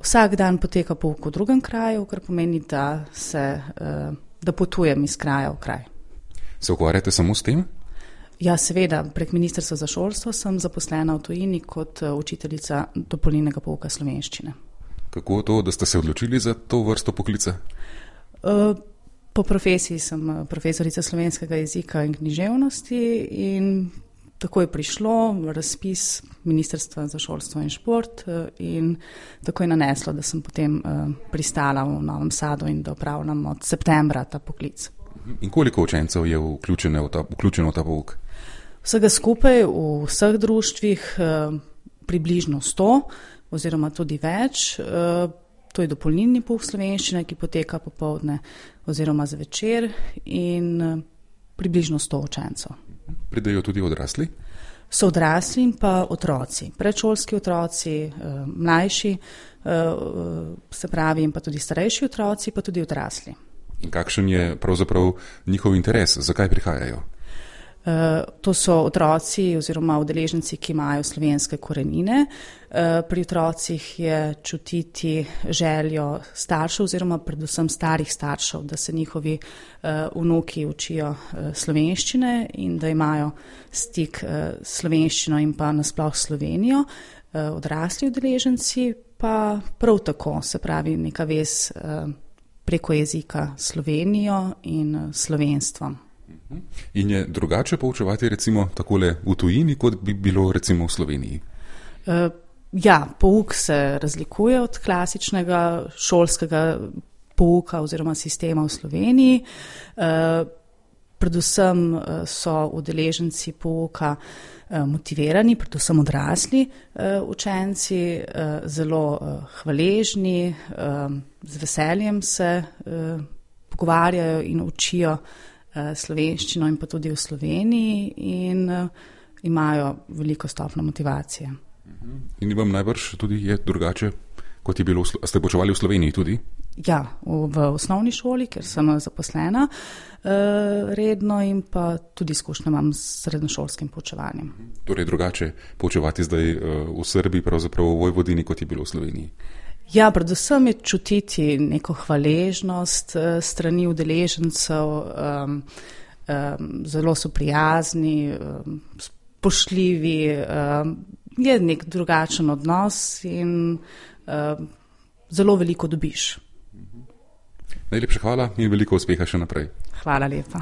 Vsak dan poteka pouk v drugem kraju, kar pomeni, da potujem iz kraja v kraj. Se ukvarjate samo s tem? Ja, seveda, prek Ministrstva za šolstvo sem zaposlena v tujini kot učiteljica dopolnilnega pouka slovenščine. Kako to, da ste se odločili za to vrsto poklica? Po profesiji sem profesorica slovenskega jezika in književnosti in tako je prišlo razpis Ministrstva za šolstvo in šport in tako je naneslo, da sem potem pristala v Novem Sadu in da opravljam od septembra ta poklic. In koliko učencev je vključeno v ta pouk? Vsega skupaj v vseh društvih približno 100 oziroma tudi več. To je dopolnilni pouk slovenščine, ki poteka popoldne oziroma zvečer in približno 100 učencev. Pridejo tudi odrasli? So odrasli in pa otroci, predšolski otroci, mlajši, se pravi, in pa tudi starejši otroci, pa tudi odrasli. In kakšen je pravzaprav njihov interes? Zakaj prihajajo? To so otroci oziroma udeleženci, ki imajo slovenske korenine. Pri otrocih je čutiti željo staršev oziroma predvsem starih staršev, da se njihovi vnuki učijo slovenščine in da imajo stik s slovenščino in pa nasploh Slovenijo. Odrasli udeleženci pa prav tako, se pravi neka vez preko jezika Slovenijo in slovenstvom. In je drugače poučevati recimo takole v tujini, kot bi bilo recimo v Sloveniji? Ja, pouk se razlikuje od klasičnega šolskega pouka oziroma sistema v Sloveniji. Predvsem so udeleženci pouka motivirani, predvsem odrasli učenci, zelo hvaležni, z veseljem se pogovarjajo in učijo slovenščino in pa tudi v Sloveniji in imajo veliko stopnjo motivacije. In vam najbrž tudi je drugače, kot je bilo, ste poučevali v Sloveniji tudi? Ja, v osnovni šoli, ker sem zaposlena redno in pa tudi izkušnje imam s srednješolskim poučevanjem. Torej drugače poučevati zdaj v Srbiji, pravzaprav v Vojvodini, kot je bilo v Sloveniji? Ja, predvsem je čutiti neko hvaležnost strani udeležencev, zelo so prijazni, spoštljivi, je nek drugačen odnos in zelo veliko dobiš. Najlepša hvala in veliko uspeha še naprej. Hvala lepa.